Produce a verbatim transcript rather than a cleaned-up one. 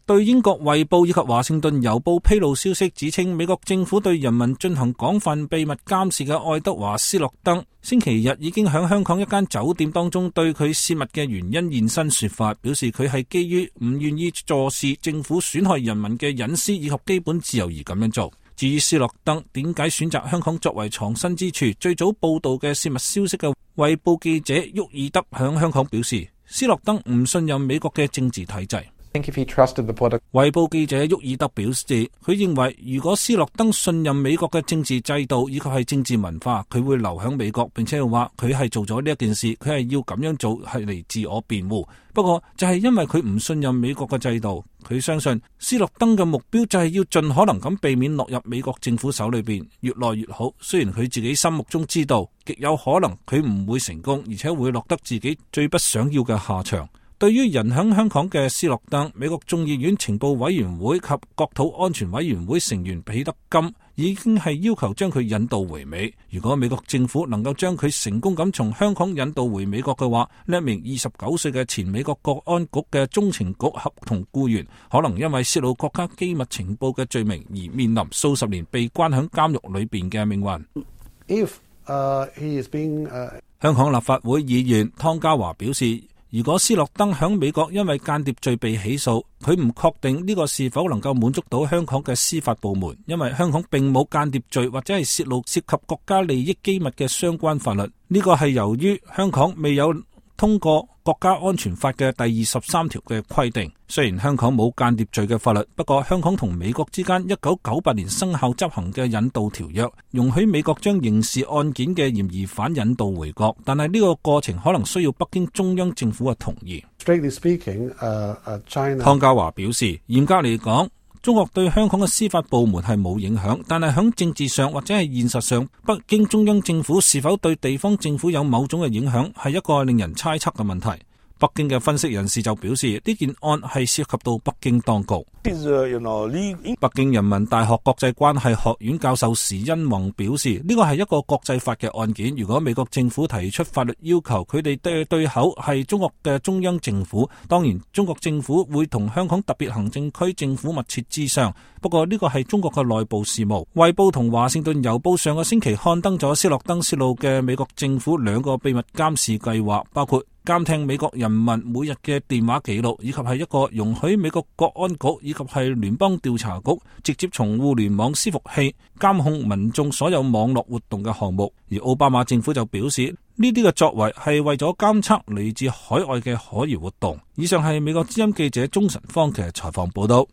對英國衛報以及華盛頓郵報披露消息，指稱美國政府對人民進行廣泛秘密監視嘅愛德華斯諾登，星期日已經喺香港一間酒店當中對佢泄密嘅原因現身說法，表示佢係基於唔願意坐視政府損害人民嘅隱私以及基本自由而咁樣做。至於斯諾登點解選擇香港作為藏身之處，最早報道嘅泄密消息嘅衛報記者沃爾德響香港表示，斯諾登唔信任美國嘅政治體制。衛報記者沃爾德表示，佢認為如果斯諾登信任美國嘅政治制度以及係政治文化，佢會留喺美國，並且話佢係做咗呢一件事，佢係要咁樣做係嚟自我辯護。不過就係因為佢唔信任美國嘅制度，佢相信斯諾登嘅目標就係要盡可能咁避免落入美國政府手裏邊，越來越好。雖然佢自己心目中知道極有可能佢唔會成功，而且會落得自己最不想要嘅下場。對於人喺香港嘅斯諾登，美國眾議院情報委員會及國土安全委員會成員彼得金已經係要求將佢引渡回美。如果美國政府能夠將佢成功咁從香港引渡回美國嘅話，呢一名二十九歲嘅前美國國安局嘅中情局合同僱員，可能因為泄露國家機密情報嘅罪名而面臨數十年被關喺監獄裏邊嘅命運。If, uh, he is being, uh... 香港立法會議員湯家驊表示，如果斯諾登響美國因為間諜罪被起訴，佢唔確定呢個是否能夠滿足到香港嘅司法部門，因為香港並冇間諜罪或者係泄露涉及國家利益機密嘅相關法律。呢個係由於香港未有通過國家安全法嘅第二十三條嘅規定。雖然香港冇間諜罪嘅法律，不過香港同美國之間一九九八年生效執行嘅引渡條約，容許美國將刑事案件嘅嫌疑犯引渡回國，但係呢個過程可能需要北京中央政府嘅同意。Strictly speaking, uh, uh, China... 湯家驊表示，嚴格嚟講，中國對香港嘅司法部門係冇影響，但係響政治上或者係現實上，北京中央政府是否對地方政府有某種嘅影響，係一個令人猜測嘅問題。北京嘅分析人士就表示，呢件案係涉及到北京當局。北京人民大學國際關係學院教授時殷弘表示，呢個係一個國際法嘅案件。如果美國政府提出法律要求，佢哋嘅對口係中國嘅中央政府，當然中國政府會同香港特別行政區政府密切諮商。不過呢個係中國嘅內部事務。衛報同華盛頓郵報上個星期刊登咗斯諾登泄露嘅美國政府兩個秘密監視計劃，包括監聽美國人民每日嘅電話記錄，以及係一個容許美國國安局以及係聯邦調查局直接從互聯網伺服器監控民眾所有網絡活動嘅項目。而奧巴馬政府就表示，呢啲嘅作為係為咗監測嚟自海外嘅可疑活動。以上係美國之音記者鍾晨芳嘅採訪報道。